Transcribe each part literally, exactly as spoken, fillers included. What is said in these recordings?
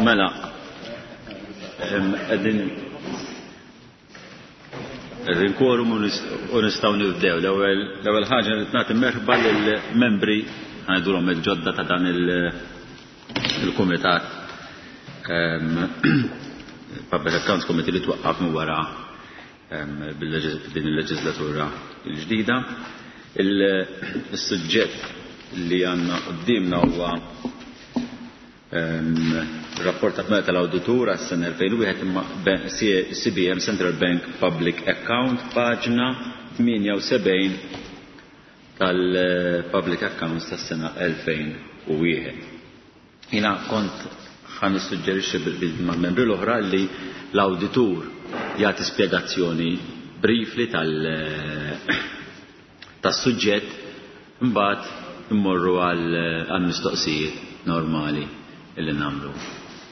Mela, qegħdin qegħdin quorum u nistgħu nibdew. L-ewwel ħaġa li nagħti merħba lill-membri ngħidulhom il-ġodda ta' dan il-kumitat Public Accounts Committee li twaqqaf minn wara din il-leġislatura l-ġdida. Il-suġġett li għandna quddiemna huwa rapport ta' tal-awditur għas-sena elfejn u wieħed imma C B M Central Bank Public Account, paġna tmienja u sebgħin tal-Public Accounts tas-sena elfejn u wieħed. Jiena kont ħa nissuġġerixxi mal-membri l-oħra li l-awditur jagħti spjegazzjoni briefly tas-suġġett, imbagħad immorru għal mistoqsijiet normali illi nagħmlu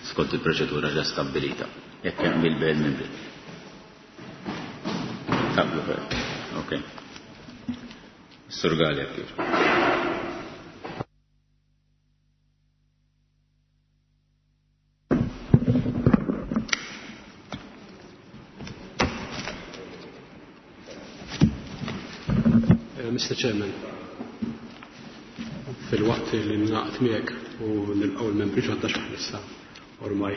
skont il-proċedura ġa stabbilita. Jekk hemm bil-bejn membri. Taqblu fer. Ok. Sur Galea kif. Mister Chairman, fil-waqt li naqt miegħek u nilqgħu l-membri ġodda x'aħna ormai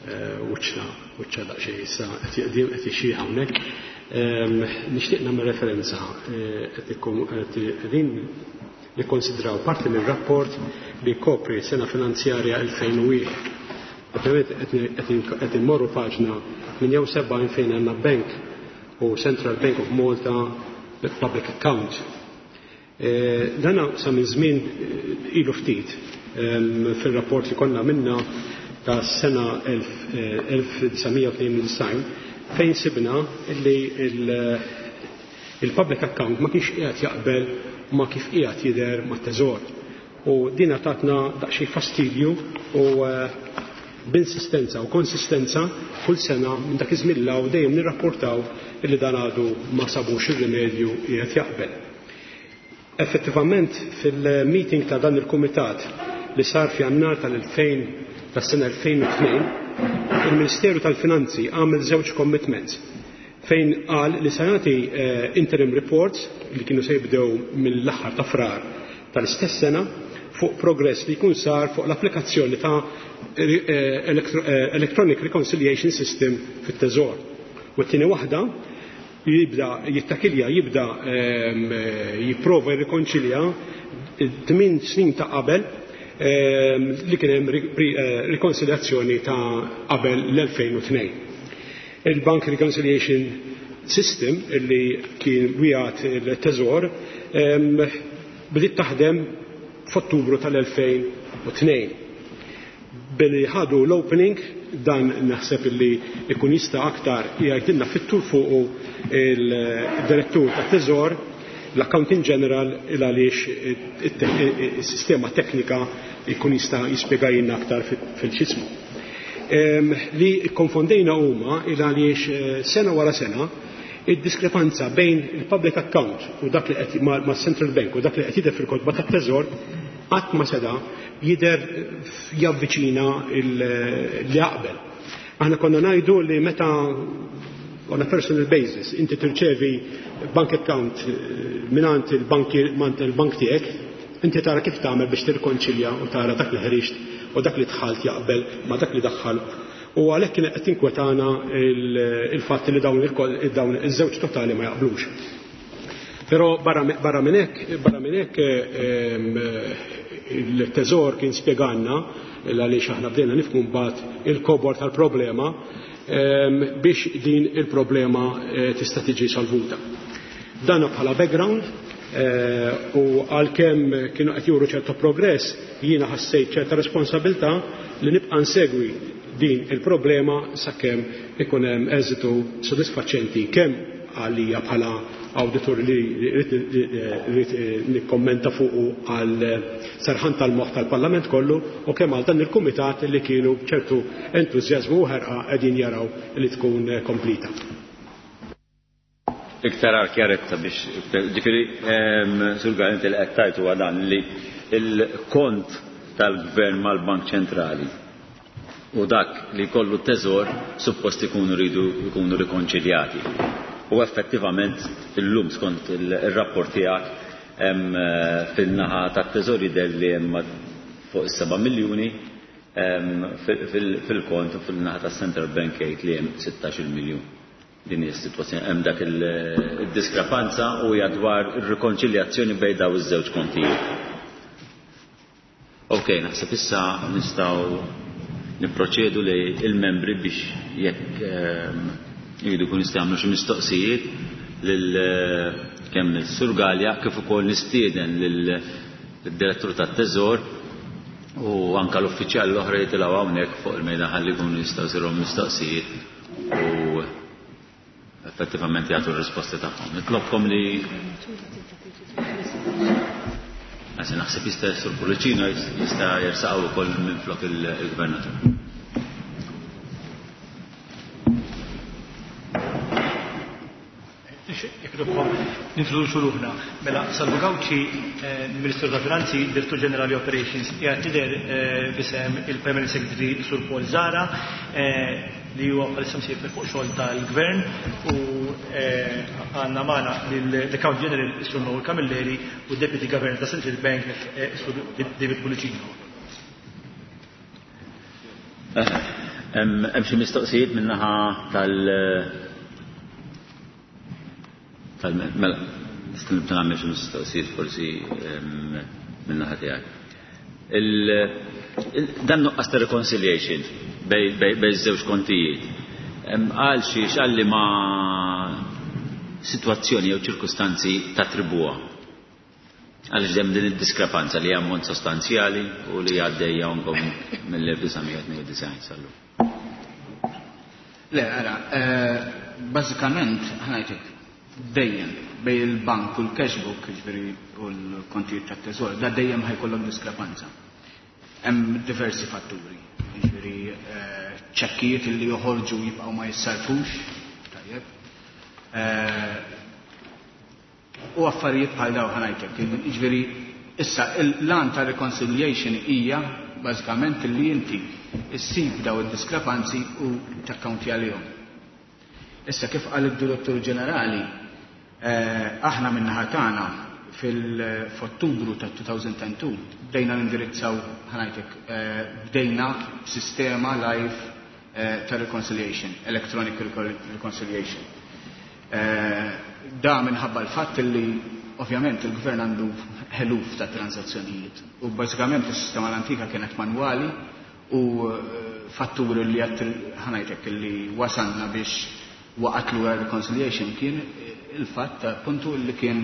wiċċna wiċċa daqsxejn issa qed jeqdim qed ixxieħ hawnhekk. Nixtieq nagħmel referenza qed qegħdin nikkonsidraw parti mir-rapport li jkopri sena finanzjarja elfejn u wieħed. Ovvjament qed immorru paġna minn jew sebgħin fejn għandna Bank u Central Bank of Malta Public Account. Dana sa minn żmien ilu ftit fil-rapport li konna minna ta' sena elf disa' mija u tnejn u disgħin fejn sibna li il-public account ma kienx qiegħed jaqbel ma kif qiegħed jidher mat-teżor. U din tatna daqsxejn fastidju u b'insistenza u konsistenza kull sena minn dak iż-żmien l hawn dejjem nirrapportaw illi dan għadu ma sabux ir-rimedju qiegħed jaqbel. Effettivament fil-meeting ta' dan il-kumitat li sar f'Jannar tal-elfejn tas-sena elfejn u tnejn, il-Ministeru tal-Finanzi għamel żewġ commitments fejn qal li se jagħti interim reports li kienu se jibdew mill-aħħar ta' Frar tal-istess sena fuq progress li jkun sar fuq l-applikazzjoni ta' Electronic Reconciliation System fit-Teżor. U t-tieni waħda jibda jittakilja, jibda jipprova jirrikonċilja tmien snin ta' qabel li kien hemm rikonsiljazzjoni ta' qabel l-elfejn u tnejn. Il-Bank Reconciliation System illi kien wieħed il-Teżor bdiet taħdem f'Ottubru tal-elfejn u tnejn. Billi ħadu l-opening, dan naħseb illi ikun jista' aktar jgħidilna fit-tul fuqu il-direttur tat-Teżor, l-Accounting General, il għaliex is-sistema teknika jkun jista' jispjegajilna aktar fil-xismu. Li konfondejna huma il għaliex sena wara sena id-diskrepanza bejn il-public account u dak li qed ma' Central Bank u dak li qed jidher fil-kotba tat-Teżor qatt ma seda jidher javviċina li jaqbel. Aħna konna ngħidu li meta on a personal basis inti tirċevi bank account mingħand il-bank il-bank tiegħek, inti tara kif tagħmel biex tirkonċilja u tara dak li ħriġt u dak li dħalt jaqbel ma dak li daħħal. U għalhekk kien qed tinkwetana il-fatt li dawn dawn iż-żewġ totali ma jaqblux. Però barra minn hekk, barra minn hekk, il-Teżor kien spjegalna għaliex aħna bdejna nifhmu mbagħad il-kobor tal-problema biex din il-problema tista' tiġi salvuta. Dan bħala background u għalkemm kienu qed juru ċerta progress, jiena ħassejt ċerta responsabilità li nibqa' nsegwi din il-problema sakemm ikun hemm eżitu sodisfaċenti kemm għalija bħala awditur li rrid nikkommenta fuqu għal serħan tal-moħħ tal-Parlament kollu u kemm għal dan il-kumitat li kienu b'ċertu entużjażmu u ħerqa qegħdin jaraw li tkun komplita. Iktar għal kjaretta biex, ġifieri, Sur Galea, inti li qed tgħid huwa dan li l-kont tal-Gvern mal-Bank Ċentrali U dak li jkollu t-teżor suppost ikunu rridu jkunu rikonċiljati. U effettivament illum skont il-rapport tiegħek hemm fin-naħa tat-teżor jidher li hemm fuq is-seba' miljuni fil-kont u fil-naħa tas-Central Bank jgħid li hemm sittax-il miljun. Din hija s-sitwazzjoni, hemm dak il-diskrepanza u hija dwar ir-rikonċiljazzjoni bejn daw iż-żewġ kontijiet. Ok, naħseb issa nistgħu nipproċedu li il-membri biex jekk jridu jkunu jistgħu jagħmlu xi mistoqsijiet lil kemm is-Sur Galea kif ukoll nistieden lil-direttur tat-Teżor u anka l-uffiċjali l-oħra jitilgħu hawnhekk fuq il-mejda ħalli jkunu jistgħu jsirhom mistoqsijiet u effettivament jagħtu r-risposti tagħhom. Nitlobkom li Għasin naħseb jista' Sur Pullicino jista' jersaqgħu wkoll minflok il-Gvernatur. Nintroduċu ruħna. Mela, Salvo Gauci, Ministru ta' Finanzi, Direttur Ġenerali Operations, qiegħed tidher f'isem il-Permanent Secretary Sur Paul Zahra, li huwa bħalissa msiefer fuq xogħol tal-Gvern, u għandna magħna l-Account General Sur Noel Camilleri u Deputy Governor ta' Central Bank Sur David Pullicino. Hemm xi mistoqsijiet min-naħa tal- Mela, nista' nibda nagħmel xi mistoqsijiet forsi min-naħa tiegħek. Dan nuqqas ta' reconciliation bej żewġ kontijiet. Għal xiex għalli ma sitwazzjoni jew ċirkustanzi tattribwa. Għaliex hemm din id-diskrepanza li ammont sostanzjali u li għaddejja anke mill-elf disa' mija tnejn u disgħin sal-lum. Le, ara, bażikament ħanajtek dejjem bej il-bank u l-cash book, ġifieri u l-kontijiet tat-teżor, da dejjem ħajkollok diskrepanza. Hemm diversi fatturi, ġifieri ċekkijiet li joħorġu jibqgħu ma jissarfux, tajjeb. U affarijiet bħal daw ħanajtek, ġifieri issa l-lan ta' reconciliation hija bażikament li inti issib daw id-diskrepanzi u takkaunti għalihom. Issa kif qal id-Direttur Ġenerali, aħna min-naħa tagħna fil-Ottubru ta' two thousand and two bdejna nindirizzaw ħanajtek bdejna sistema live ta' reconciliation, electronic reconciliation. Da minħabba l-fatt li ovvjament il-gvern għandu eluf ta' transazzjonijiet u bażikament is-sistema l-antika kienet manwali u fatturi li għat ħanajtek li wasalna biex waqat lura reconciliation kien il-fatt ta' puntu li kien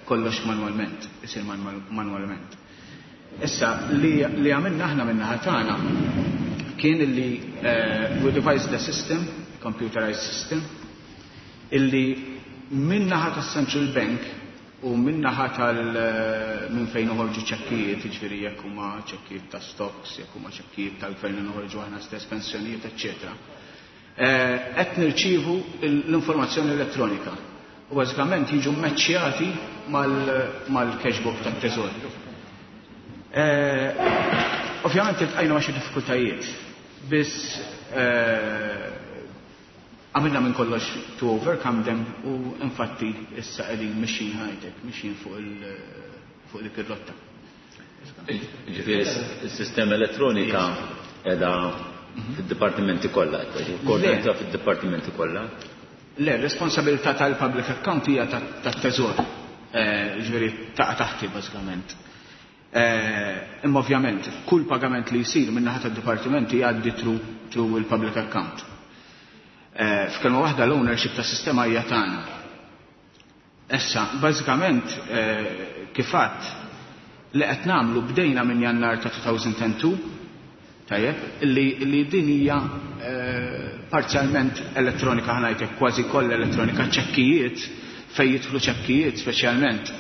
kollox manualment, isir manualment. Issa, li għamilna aħna minna tagħna kien li we devised the system, computerized system, illi minnaħa tas Central Bank u minnaħa tal minn fejn uħorġu ċekkijiet, jiġifieri jekk huma ċekkijiet ta' stocks, jekk huma ċekkijiet tal-gvern noħorġu aħna stess pensjonijiet, eċċetera. Qed nirċievu l-informazzjoni elettronika u bażikament jiġu mmeċċjati mal-cash book tat-teżor. Ovvjament iltqajna ma' xi diffikultajiet, biss għamilna minn kollox to overcome them u infatti issa qegħdin mixjin high-tech, mixjin fuq dik ir-rotta. Ġifieri s-sistema elettronika qiegħda fid-dipartimenti kollha, koordinata fid-dipartimenti kollha. Le, responsabilità tal-public account hija tat-teżor, ġifieri taqa' taħti bażikament. Imma ovvjament kull pagament li jsir minn naħa tad-dipartimenti jgħaddi through il-public account. F'kelma waħda l-ownership tas-sistema hija tagħna. Issa, bażikament kif għadt li qed nagħmlu bdejna minn Jannar ta' two thousand and two, tajjeb, li, li din hija parzjalment elettronika ħanajtek, kważi kollha elettronika, ċekkijiet, fejn jidħlu ċekkijiet speċjalment,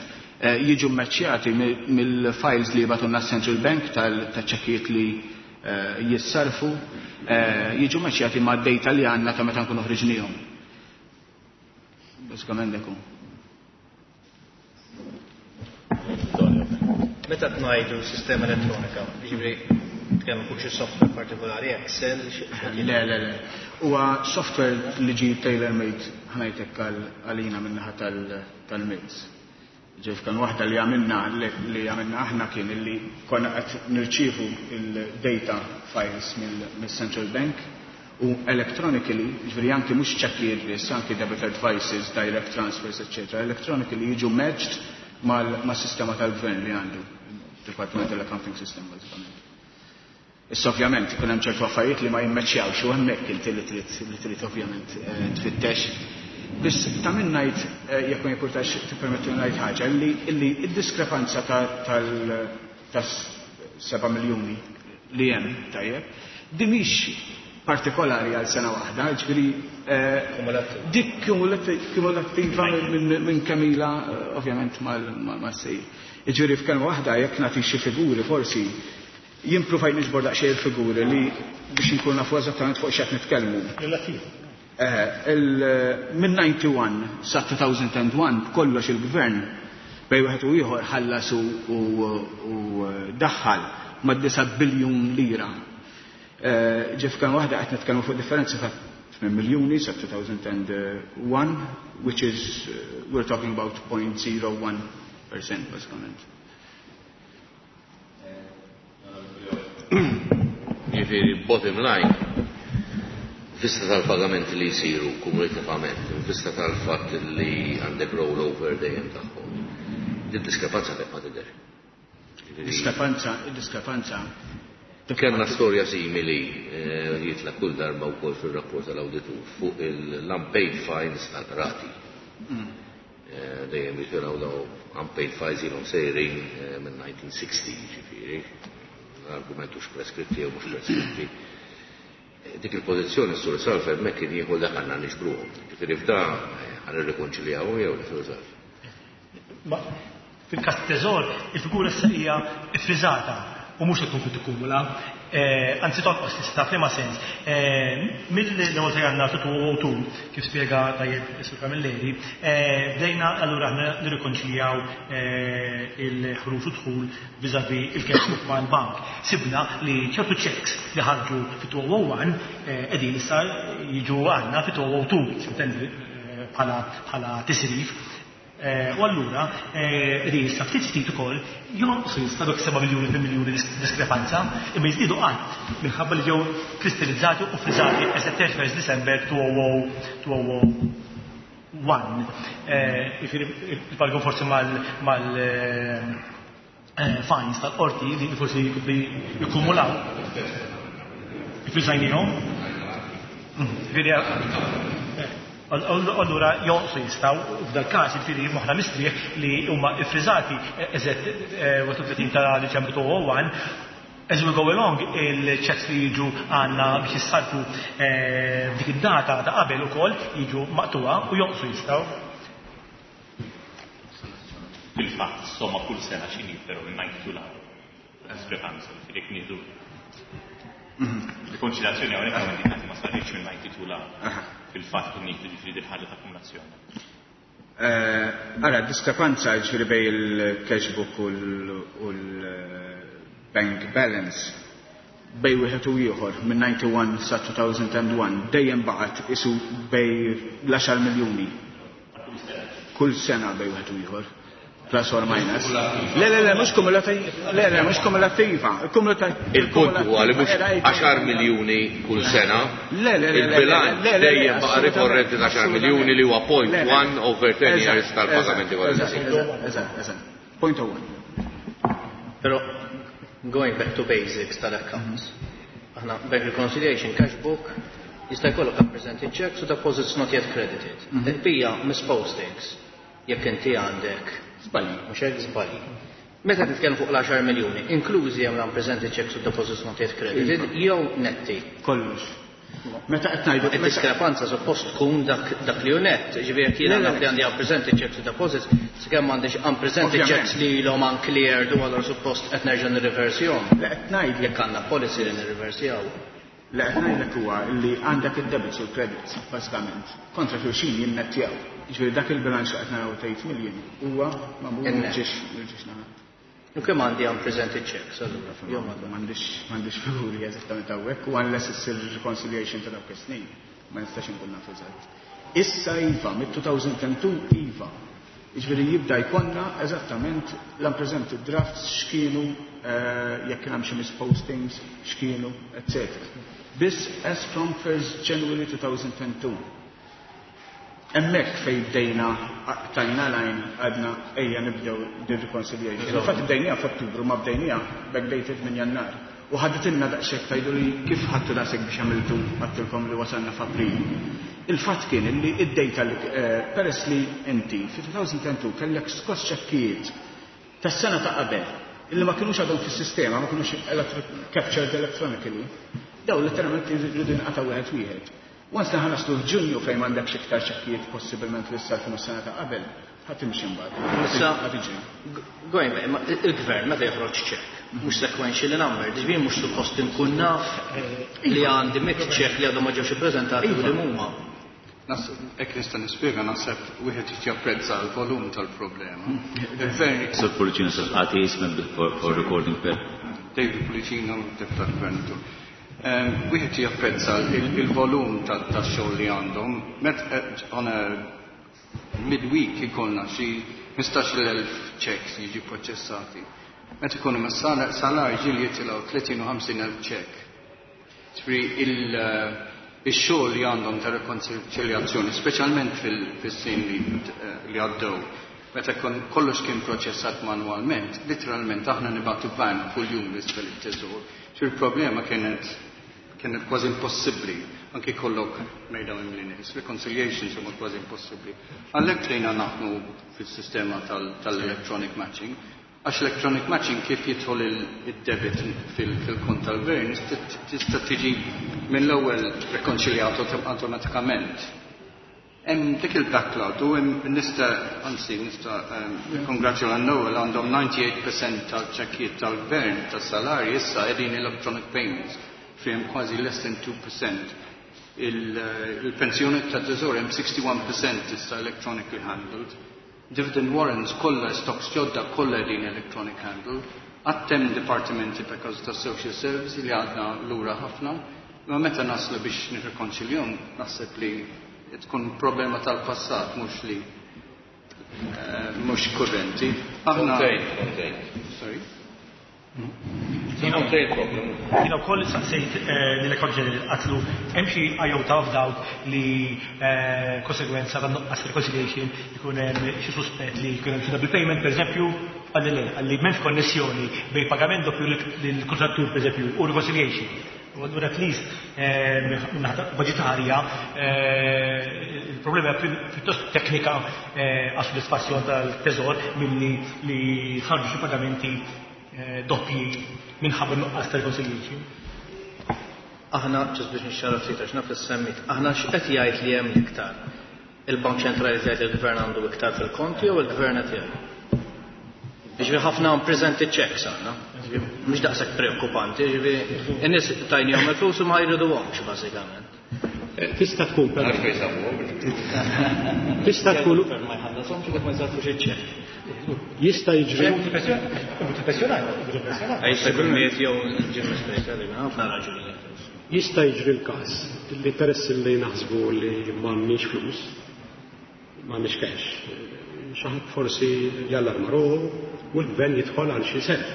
jiġu mmeċċjati mill-files li jibgħatulna Central Bank tal-ċekkijiet li jissarfu, jiġu mmeċċjati ma' data li għandna ta' meta nkunu ħriġnihom. Bażikament dak hu. Meta tnajdu sistema elettronika, jiġifieri Nitkellmu fuq xi software partikolari, Excel, Le, le, le. Huwa software li ġi tailor-made, ħa ngħidlek, għalina min-naħa tal-M I D S. Ġif kan waħda li għamilna li għamilna aħna kien li konna qed nirċievu il-data files mill-Central Bank u electronically, ġifieri anki mhux ċekkijiet biss, anki debit advices, direct transfers, et cetera, electronically jiġu merged mal-sistema tal-gvern li għandu, Departmental Accounting System, bażikament. Issa ovvjament ikun hemm ċertu affarijiet li ma jimmeċjawx u hemmhekk inti li trid li trid ovvjament eh, tfittex. Biss ta' min ngħid, eh, jekk ma jimpurtax tippermettu ngħid ħaġa, li illi id-diskrepanza tal ta' seba' miljuni li hemm, tajjeb, di mhix partikolari għal sena waħda, ġifieri eh, dik kumulattiva minn kemm ilha ovvjament mal-sejr. Ġifieri f'kelma waħda, jekk nagħti xi figuri, forsi jien provajt niġbor daqsxejn il-figuri li biex inkun nafu eżattament fuq x'qed nitkellmu. Eh, minn disgħa u disgħin sa elfejn u wieħed b'kollox il-gvern bejn wieħed u ieħor ħallas u daħħal ma' disa' biljun lira. Eh, ġif kan waħda qed nitkellmu fuq differenza ta' tmien miljuni sa elfejn u wieħed, which is, uh, we're talking about zero point zero one percent bażikament. Ġifieri, bottom line, vista tal-pagamenti li jisiru kumulativament, vista tal-fatt li għandek rollover dejjem tagħhom, din diskrepanza tibqa' tidher. Diskrepanza, diskrepanza. Kellna storja simili eh, jitla kull darba wkoll fil-rapport tal-awditur fuq l-unpaid fines tal-rati. Mm. Eh, dejjem jitilgħu daw unpaid fines ilhom sejrin eh, minn elf disa' mija u sittin, ġifieri argumentu preskritti jew mhux preskritti. Dik il-pożizzjoni s-sur Salf hemmhekk kien jieħu dak għandna niġbruhom. Ġifieri f'da ħa nirrikonċiljaw jew sur Salf. Fil-każ teżor, il-figura issa hija ffriżata u mhux qed tkun tikkumula. Eh, anzi tonqos tista' f'liema sens. Eh, mill-ewwel ta' Jannar elfejn u tnejn, kif spjega tajjeb is-Sur Camilleri, eh, bdejna allura aħna nirrikonċiljaw il-ħruġ u dħul vis-à-vis il-cash book mal-bank. Sibna li ċertu checks li ħarġu fit-elfejn u wieħed qegħdin issa jiġu għandna fit-elfejn u tnejn bħala tisrif. Eh, u allura, eh, issa ftit ftit ukoll jonqsu jista' dak seba' miljuni fi miljuni diskrepanza, imma jiżdiedu qatt minħabba li ġew kristallizzati u friżati as at thirty-first December two thousand one. Eh, il-paragun forsi mal fines tal-qorti li forsi jikkumulaw. Friżajnihom. Ġifieri allura jonqsu jistgħu f'dal każ, jiġifieri moħħna mistrieħ li huma iffriżati eżatt tletin ta' Diċembru elfejn u wieħed. As we go along, il-checks li jiġu għandna biex jissarfu f'dik id-data ta' qabel ukoll jiġu maqtuwa u jonqsu jistgħu. Fil-fatt, somma kull sena x'inhi però minn disgħa u disgħin diskrepanza, ġifieri jekk nieħdu rikonċiljazzjoni hawnhekk hawn ma saritx minn disgħa u disgħin fil-fatt kun nieħdu ġifieri din ħaġa ta' akkumulazzjoni. Ara, diskrepanza ġifieri bejn il-cash book u l-bank balance bejn wieħed u ieħor minn disgħa u disgħin sa elfejn u wieħed dejjem baqgħet isu bejn l-għaxar miljuni. Kull sena bejn wieħed u ieħor. Plus or minus. Le, le, le, mhux kumulativa. Le, le, mhux kumulattiva. Il-punt huwa li mhux għaxar miljuni kull sena. Le, le, le, Il-bilanċ dejjem baqa' rikorrenti ta' għaxar miljuni li huwa point one over ten years tal-pagamenti kollha. Eżatt, eżatt. Point oh one. Però going back to basics tal-accounts. Aħna bank reconciliation, cash book, jista' jkollok unpresented checks u deposits not yet credited. Il-bija mispostings jekk inti għandek Żbalji. Mhux hekk, żbalji. Meta titkellem fuq l-għaxar miljuni, inklużi hemm l-unpresented checks u deposits not yet credited, jew netti? Kollox. Meta qed ngħidu Id-diskrepanza suppost tkun dak dak li hu net. Ġifieri jekk jiena naf li għandi unpresented checks u deposits, sakemm m'għandix unpresented checks li ilhom uncleared u allura suppost qed nerġa' nirriversjahom. Le, qed ngħid Jekk għandna policy li nirriversjaw. Le, qed ngħidlek huwa li għandek id-debits u l-credits bażikament kontra xulxin jinnettjaw. Ġifieri dak il-bilanċ li qed naraw ta' eight million huwa magħmul In-net. mill-ġiex mill-ġiex naħat. U kemm għandi unpresented checks allura? Jew ma M'għandix m'għandix figuri eżattament hawnhekk u unless issir reconciliation ta' dawk is-snin, ma nistax inkun naf eżatt. Issa iva, mid-elfejn u tnejn iva. Jiġifieri jibda jkollna eżattament l-unpresented drafts x'kienu, eh, jekk kien hemm xi mispostings, x'kienu, et cetera. This as from first January two thousand two. Hemmhekk fej bdejna tajna line, għadna ejja nibdew din reconciliation. Infatti bdejnija f'Ottubru, ma bdejnija backdated minn Jannar. U ħaditilna daqshekk. Tgħidu li kif ħadtu daqshekk biex għamiltu, għedtilkom li wasalna f'April. Il-fatt kien li id-data li eh, peress li inti fi elfejn u tnejn kellek skoss ċekkijiet tas-sena ta' qabel illi ma kinux għadhom fis-sistema, ma kinux captured electronically, daw letteralment jridu jinqata' wieħed wieħed. Once li ħa naslu f'Ġunju fejn m'għandekx iktar ċekkijiet possibilment li sarfu mis-sena ta' qabel, ħa timxi mbagħad. Issa- Ħa tiġri. Going back, ma il-gvern meta joħroġ ċekk, mhux sequential number, ġifieri mhux suppost inkun naf li għandi mitt ċekk li għadhom ma ġewx ippreżentati u li huma. Hekk nista' nispjega, naħseb wieħed japprezza l-volum tal-problema. Il-gvern Sur Pullicino, sir, għati ismek for, for recording per. David Pullicino, deputat gvernatur. Wieħed japprezza il-volum tax-xogħol li għandhom. Met eh, on a midweek ikollna xi ħmistax-il elf checks jiġi proċessati. Meta ikunu mas-salar ġieli jitilgħu tletin u ħamsin elf check. Ġifieri il-xogħol li għandhom ta' rekonċiljazzjoni, speċjalment fil-snin li għaddew, meta kollox kien proċessat manualment, literalment aħna nibagħtu van kull jum l-isfel it-teżor. Il-problema kienet kienet kważi impossibbli, anki kollok mejda mimli nies, reconciliations huma kważi impossibbli. Għalhekk bdejna naħdmu fis-sistema tal-electronic matching, għax electronic matching kif jidħol il-debit fil-kont tal-gvern tista' tiġi mill-ewwel rekonċiljat automatikament. Hemm dik il-backlog u nista', anzi nista' kongratula Noel, għandhom disgħa u disgħin fil-mija tal-ċekkijiet tal-gvern tas-salarji issa qegħdin electronic payments, fejn kważi less than two percent. Il-pensjoni ta' teżor hemm wieħed u sittin fil-mija issa electronically handled. Dividend warrants kollha, stocks ġodda kollha din electronic handled. Għad hemm dipartimenti because ta' social service li għadna lura ħafna. Ma meta naslu biex nirrekonċiljahom, naħseb li tkun problema tal-passat, mhux li eh, mhux kurrenti. Aħna. Sorry. Jiena wkoll saqsejt eh, lill-Accountant General, għedtlu hemm xi iota of doubt li eh, konsegwenza ta' nuqqas reconciliation ikun hemm xi suspett li jkun hemm xi double payment, pereżempju, qalli le, qalli m'hemmx konnessjoni bejn pagament doppju lill-kontrattur, pereżempju, u reconciliation. U allura at least eh, budgetarja il-problema pjuttost teknika għas soddisfazzjon tal-teżor milli li ħarġu xi pagamenti doppji minħabba nuqqas ta' reconciliation. Aħna, ġust biex nixxara ftit għax naf semmit, aħna x'qed jgħid li hemm iktar? Il-Bank Ċentrali jgħid il-Gvern għandu iktar fil-konti jew il-Gvern qed jgħid? Ġifieri ħafna unpresented checks għandna. Mhux daqshekk preokkupanti, ġifieri in-nies tajnihom il-flus u ma jriduhomx bażikament. Eh, tista' tkun però. Tista' tkun. Ma jħallashomx jekk ma jsarfux iċ-ċekk. Jista' jiġri. Jista' jkun miet jew ġie mispejta, ħafna raġunijiet. Jista' jiġri l-każ li peress li naħsbu li m'għandniex flus, m'għandniex cash, xi ħadd forsi jallarma ruħu u l-gvern jidħol għal xi self.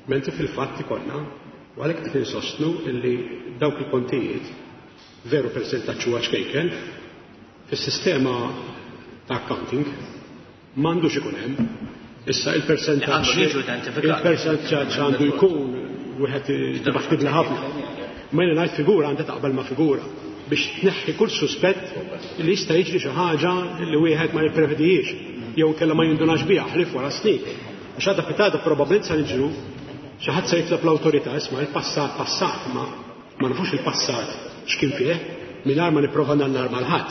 Mentri fil-fatt ikollna, u għalhekk qed insostnu illi dawk il-kontijiet veru persentaġġ huwa ċkejken, fis-sistema ta' accounting m'għandux ikun hemm. Issa il-persentaġġ il-persentaġġ għandu jkun wieħed dibattibli ħafna. Ma jiena ngħid figura għandha taqbel ma' figura biex tneħħi kull suspett li jista' jiġri xi ħaġa li wieħed ma jipprevedijiex jew kellha ma jindunax biha ħlief wara snin. Għax għadha pitgħada probabbilment sa niġru xi ħadd se jitlob l-awtorità, isma', il-passat passat, ma ma nafux il-passat x'kien fih mingħajr ma nipprova nallarma 'l ħadd.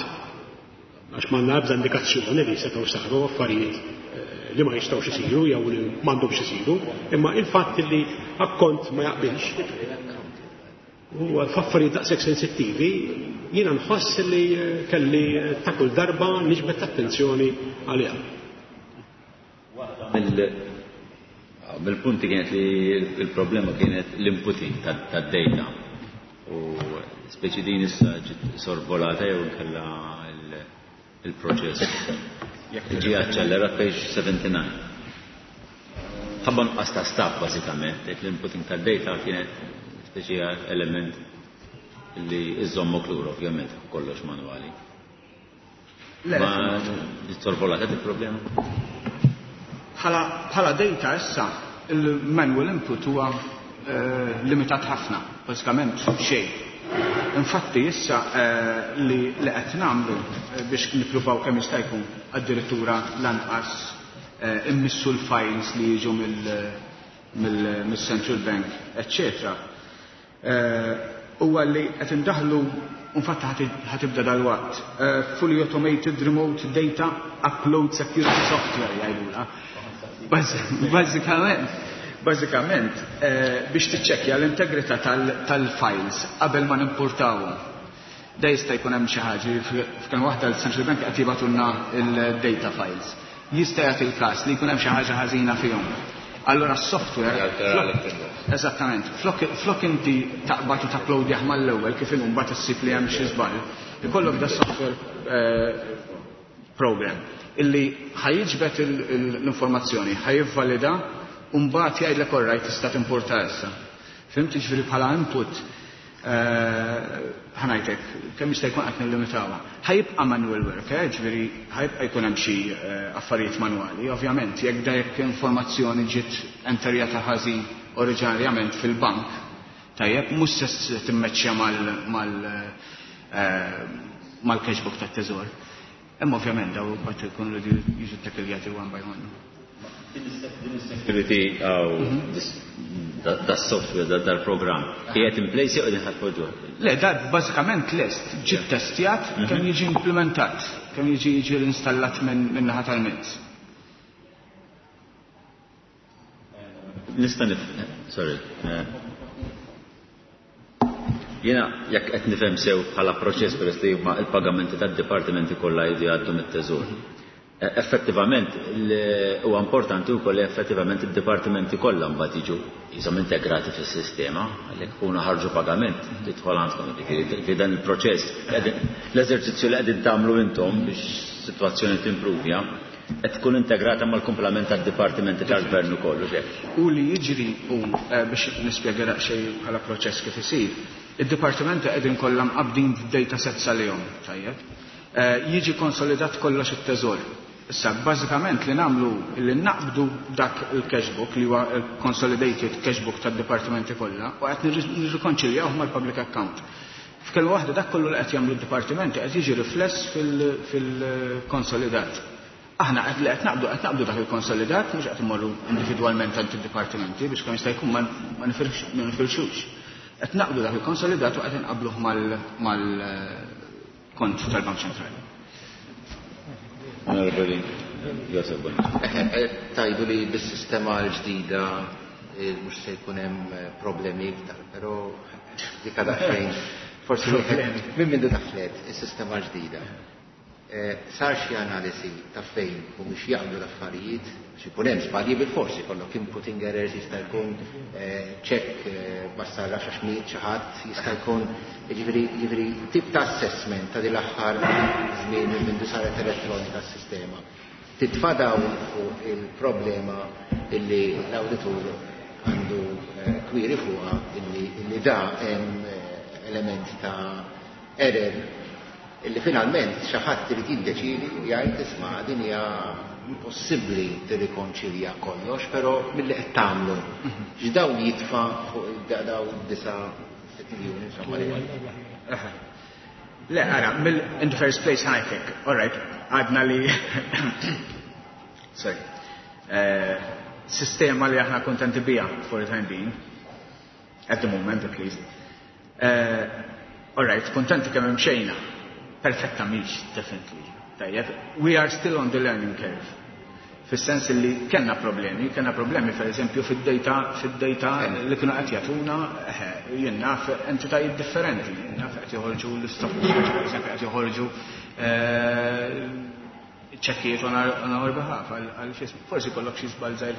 Għax ma ebda indikazzjoni li setgħu saru affarijiet eh, li ma jistgħux isiru jew li m'għandhomx isiru, imma il-fatt li akkont ma jaqbilx u f'affarijiet daqshekk sensittivi jiena nħoss li eh, kelli eh, ta' kull darba niġbed attenzjoni għaliha. Bil-punti kienet li il-problema kienet l-inputing tad-data. U speċi din issa ġiet sorvolata jew inkella il-proċess. Ġie aċċellerat page seventy-nine. Ħabba nuqqas ta' staff bażikament, l-inputing tad-data kienet speċi element li iżommok lura ovvjament kollox manwali. Ma ġiet sorvolata il-problema? Bħala data issa il-manual input huwa limitat ħafna, bażikament xejn. Infatti issa li li qed nagħmlu biex nippruvaw kemm jista' jkun addirittura lanqas immissu l-files li jiġu mill-Central Bank, eċċetera. Huwa li qed indaħlu, infatti ħatibda dal-waqt, fully automated remote data upload security software jgħidulha. Bażikament, bażikament biex tiċċekkja l-integrità tal-files qabel ma nimportawhom. Da jista' jkun hemm xi ħaġa, f'kemm waħda l-Central Bank qed jibgħatulna l-data files. Jista' jagħti l-każ li jkun hemm xi ħaġa ħażina fihom. Allora s-software eżattament, flok inti taqbad u tapplowdjah mal-ewwel kif inhu mbagħad issib li hemm xi żball, ikollok da software program illi ħajġbet l-informazzjoni, ħajivvalida u mbagħad jgħidlek orrajt tista' timporta issa. Fhimt? Jiġifieri bħala input ħanajtek, kemm jista' jkun qed nillimitawha. Ħajibqa' manual work, ġifieri ħajibqa' jkun hemm xi affarijiet manwali. Ovvjament, jekk da jekk informazzjoni ġiet enterjata ħażin oriġinarjament fil-bank, tajjeb, mhux se timmeċċja mal-cashbook tat-teżor. Imma ovvjament daw mbagħad ikunu rridu jiġu ttakkiljati one by one. Din is-security għaw da software, dal-programm, qiegħed in place jew qegħdin ħadpoġġuh? Le, da bażikament lest, ġi ttestjat kemm jiġi implementat, kemm jiġi jiġi installat minn naħa tal-mezz. Nista' nif, sorry. Jiena jekk qed nifhem sew bħala proċess peress li huma l-pagamenti tad-dipartimenti kollha jridu jgħaddu mit-teżur. Effettivament huwa importanti wkoll li effettivament id-dipartimenti kollha mbagħad jiġu jisom integrati fis-sistema, għalhekk ikunu ħarġu pagament tidħol għandkom, jiġifieri dan il-proċess, l-eżerċizzju li qegħdin tagħmlu intom biex sitwazzjoni timpruvja, qed tkun integrata mal-kumplament tad-dipartimenti tal-gvern ukoll, u hekk. U li jiġri hu biex nispjega daqsxejn bħala proċess kif isir, id-dipartimenti qegħdin kollha mqabbdin f'data sets għalihom, tajjeb. Jiġi konsolidat kollox it-teżor. Issa, bażikament li nagħmlu li naqbdu dak il-cashbook li huwa il-consolidated cashbook tad-dipartimenti kollha u qed nirrikonċiljawh mal-public account. F'kelma waħda dak kollu li qed jagħmlu d-dipartimenti qed jiġi rifless fil-konsolidat. Aħna qed li qed naqbdu qed naqbdu dak il-konsolidat mhux qed immorru individwalment għand id-dipartimenti biex kemm jista' jkun ma nifirxux. Qed naqbdu dak il-konsolidat u qed inqabluh mal-kont tal-Bank Ċentrali. Onorevoli Josef Bonnici. Tajdu li bis-sistema l-ġdida mhux se jkun hemm problemi iktar, però dik għadha xejn. Forsi minn mindu daħlet is-sistema ġdida. Sar xi analisi ta' fejn u mhux jaqblu l-affarijiet, għax ikun hemm żbalji bil-forsi, jkollok inputting errors, jista' jkun ċekk ma sarrax għax miet xi ħadd, jista' jkun jiġifieri jiġifieri tip ta' assessment ta' din l-aħħar żmien minn mindu saret elettronika s-sistema. Titfa' dawn fuq il-problema illi l-awditur għandu kwiri fuqha illi, illi da hemm element ta' error illi finalment xi ħadd irid jiddeċiedi u jgħid isma' din hija impossibbli tirrikonċilja kollox, però milli qed tagħmlu. X'dawn jitfa' fuq daw disa' sitt miljuni insomma li Le, ara, mill in the first place ħajtek, all right, għadna li sorry, eh, sistema li aħna kontenti bija for the time being, at the moment at least. Eh, all right, kontenti kemm imxejna, perfetta mhix, definitely. Tajjeb, we are still on the learning curve. Fis-sens li kellna problemi, kellna problemi per eżempju fid-data, fid-data li kienu qed jagħtuna, eh, jien naf entitajiet differenti, jien naf qed joħorġu l-stock exchange, per eżempju qed joħorġu, eh, ċekkijiet on our behalf għal x'ismu. Forsi kollok xi żball żgħir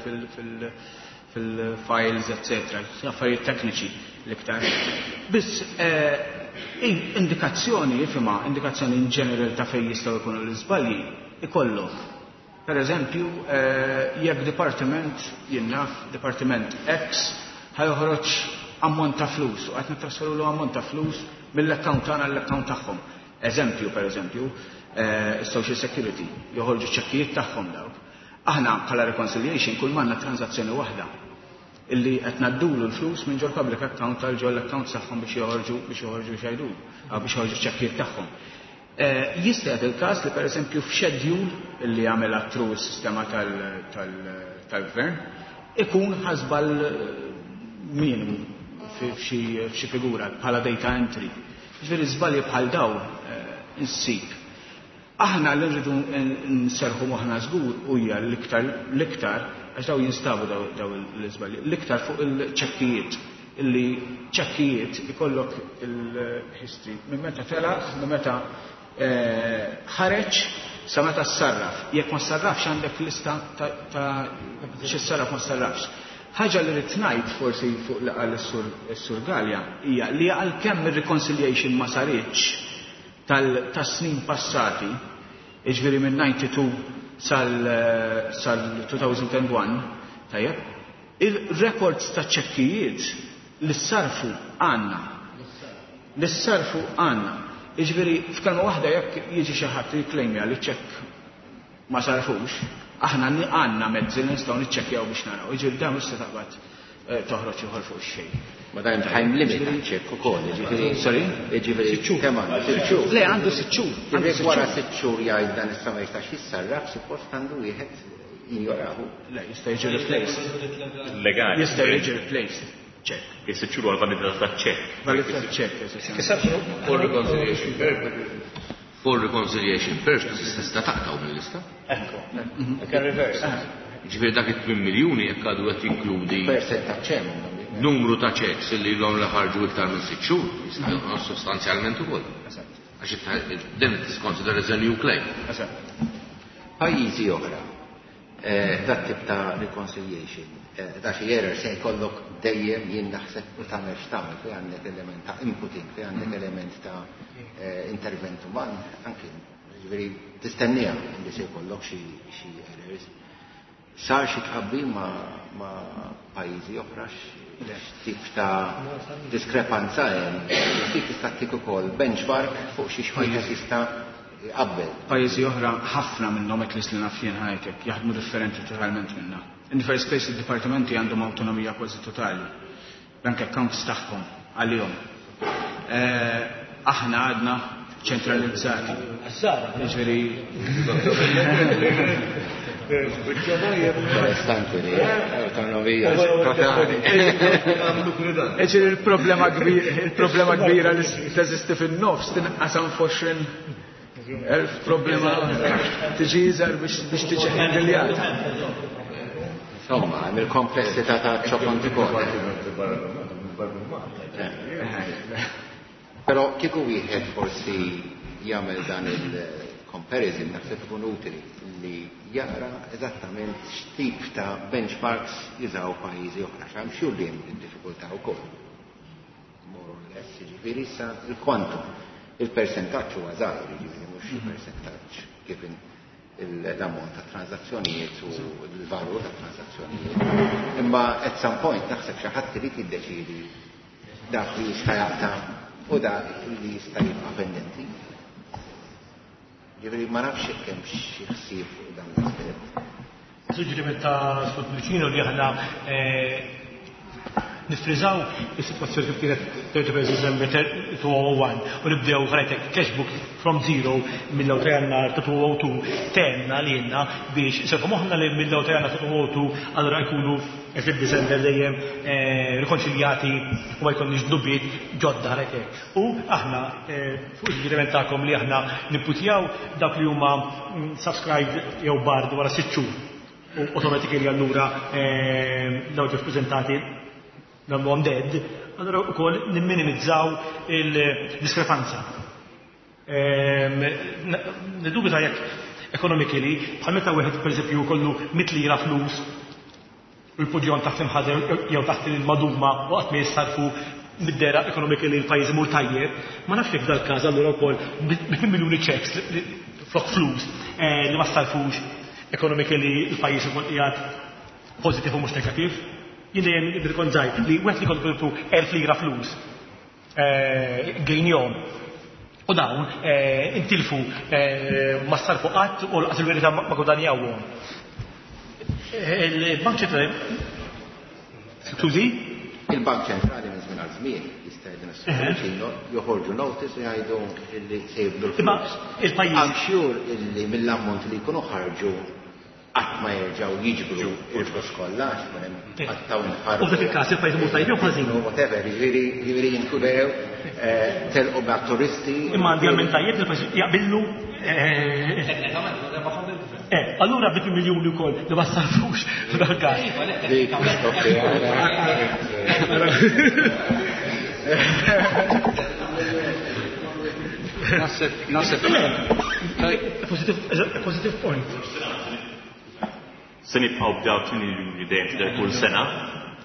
fil-files, eccetera, affarijiet tekniċi l-iktar. Biss indikazzjoni, ifhimha, indikazzjoni in general ta' fejn jistgħu jkunu l-iżbalji ikollok. Per eżempju, jekk departiment, jien naf, departiment X, ħajoħroġ ammont ta' flus u qed nittrasferulu ammont ta' flus mill-account tagħna l-account tagħhom. Eżempju, per eżempju, social security, joħorġu ċekkijiet tagħhom dawk. Aħna bħala reconciliation kull m'għandna transazzjoni waħda illi qed ngħaddulu l-flus minn ġol public account għal ġol account tagħhom biex joħorġu biex joħorġu xajdu, biex joħorġu ċekkijiet tagħhom. Jista' jagħti il-każ li pereżempju f'schedule illi jagħmel through is-sistema tal-gvern ikun ħasbal minimu f'xi figura bħala data entry. Ġifieri żbalji bħal daw insib. Aħna li rridu nserħu moħħna żgur hija l-iktar l-iktar għax daw jinstabu daw l-iżbalji, l-iktar fuq il-ċekkijiet illi ċekkijiet ikollok il-history minn meta telaq, minn meta ħareġ sa meta ssarraf. Jekk ma ssarrafx għandek lista ta' xi ssarraf ma ssarrafx. Ħaġa li rrid ngħid forsi fuq li qal is-Sur Gallia hija li għalkemm ir-reconciliation ma saritx tas-snin passati, jiġifieri minn ninety-two sal-two thousand and one, tajjeb, il-records ta' ċekkijiet li ssarfu għandna. Li ssarfu għandna. Jiġifieri f'kelma waħda jekk jiġi xi ħadd jikklejmja li ċekk ma sarfux, aħna għandna mezzi li nistgħu niċċekkjaw biex naraw. Jiġifieri dan mhux se taqbad toħroġ ieħor fuq xejn. Ma dan time limit ċekk ukoll, jiġifieri. Sorry? Jiġifieri Sitt xhur. kemm għandu? Sitt xhur. Le, għandu sitt xhur. Għandu Jekk sitt wara xhur. sitt xhur jgħid dan issa ma jistax jissarraf, suppost għandu wieħed jinjorahu. Le, jista' jiġi replaced. Legali. Jista' jiġi replaced. Ċekk. Sitt xhur għal validità ta' ċekk. Validità ta' ċekk, eżatt. For reconciliation purposes. For reconciliation purposes tista' taqtgħu mill-lista. Ekku. You can reverse. Ġifieri dak it-tmien miljuni jekk għadu qed jinkludi Percentaġġ hemm. numru ta' checks li ilhom li ħarġu iktar minn sitt xhur, jista' jonqos sostanzjalment ukoll. Għax then it is considered as a new claim. Pajjiżi oħra, dat tip ta' reconciliation, da xi error se jkollok dejjem jien naħseb u tagħmel x'tagħmel fejn għandek element ta' inputting, fejn għandek element ta' intervent uman, anki ġifieri tistennija li se jkollok xi errors. Sar xi tqabbil ma' ma' pajjiżi oħra x'tip ta' diskrepanza hemm, x'tip tista' ttik ukoll benchmark fuq xi xwieħed jista' jqabbel. Pajjiżi oħra ħafna minnhom at least li naf jien ħajtek jaħdmu differenti totalment minna. In the first place id-dipartimenti għandhom awtonomija kważi totali. Bank accounts tagħhom għalihom. Aħna għadna ċentralizzati. Jiġifieri Interessanti li autonomija totali. Jiġifieri il-problema kbira, il-problema kbira li teżisti fin-nofs tinqasam f'għoxrin elf problema tiġi iżgħar biex tiġi ħendiljata. Insomma, hemm il-komplessità ta' ċokon ukoll. Però kieku wieħed forsi jagħmel dan il-comparison naħseb ikun utili li jara eżattament x'tip ta' benchmarks jużaw pajjiżi oħra, x'hemm xhur li hemm id-diffikultà wkoll. More or less, jiġifieri issa il-kwantum, il-persentaġġ huwa żgħir, jiġifieri mhux il-persentaġġ kif l-ammont ta' transazzjonijiet u l-valur ta' transazzjonijiet. Imma at some point naħseb xi ħadd irid jiddeċiedi dak li jista' jaqta' u dak li jista' jibqa' pendenti. Ġifieri ma nafx jekk hemm xi ħsieb fuq dan l-aspett. Suġġeriment ta' Sur Pullicino li aħna nifriżaw is-sitwazzjoni kif kienet thirty first December two oh one u nibdew ħarajtek cash book from zero mill-ewwel ta' Jannar ta' two oh two tenna li jenna biex inserħu moħħna li mill-ewwel ta' Jannar ta' two oh two allura jkunu eżatt December dejjem rikonċiljati u ma jkollniex dnubiet ġodda ħarajtek. U aħna fuq il-suġġeriment tagħkom li aħna nipputjaw dawk li huma subscribed jew barred wara sitt xhur u automatically allura dawk ġew preżentati nagħmluhom dead, allura wkoll nimminimizzaw il-diskrepanza. Nidubita jekk Economically, bħal meta wieħed pereżempju jkollu mitt lira flus u jpoġġihom taħt imħader jew taħt il-maduma u qatt ma jissarfu, mid-dehra economically l-pajjiż imur tajjeb, ma nafx jekk dal-każ allura wkoll bi miljuni checks flok flus eh, li ma ssarfux, economically il-pajjiż ikun qiegħed pożittiv u mhux negattiv. Jien dejjem bil żgħir li wieħed li kollu elf lira flus eh, gejnjom u dawn eh, intilfu, ma ssarfu qatt u lanqas il-verità ma gwadanjawhom. Il-Bank Ċentrali. Skużi? Il-Bank Ċentrali minn żmien għal żmien jista' jgħidilna, joħorġu notice u jgħidu illi se jibdu l-flus. Il-pajjiż. I'm sure illi mill-ammont li jkunu ħarġu qatt ma jerġgħu jiġbru il-flus kollha għax ikun hemm qattaw inħarġu. U f'dak il-każ il-pajjiż imur tajjeb jew ħażin? Whatever, jiġifieri jiġifieri jinkudew telqu ma' turisti. Imma għandi għamil tajjeb il-pajjiż jaqbillu. Eh, allura bit miljuni wkoll li ma ssarfux f'dak każ. Iva, le, teknikament. Naħseb, naħseb. Positive, positive point. Se nibqgħu b'daw tmien miljuni dejjem tidher kull sena,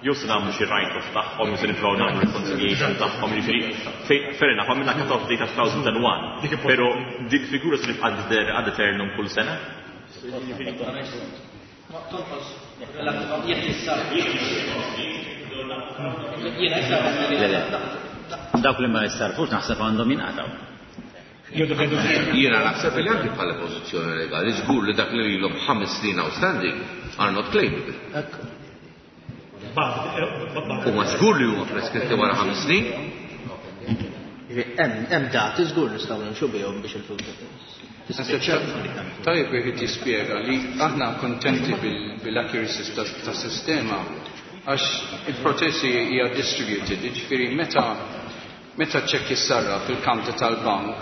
jew se nagħmlu xi write-off tagħhom, jew se nippruvaw nagħmlu reconciliation tagħhom, jiġifieri fair enough, għamilna cut-off date ta' elfejn u wieħed, però dik figura se nibqa' tidher ad eternum kull sena? Tonqos, jekk issa. Jiena issa Le, le. Dawk li ma jissarfux naħseb għandhom jinqataw. Jiena naħseb li anki bħala pożizzjoni legali, żgur li dak li ilhom ħames snin outstanding are not claimable. Huma żgur li huma preskritti wara ħames snin. Hemm dati żgur nistgħu nimxu bihom biex il-flus. Tajjeb wieħed jispjega li aħna kontenti bil-accuracy tas-sistema għax il-proċessi hija distributed, jiġifieri meta meta ċekk jissarra fil-counter tal-bank,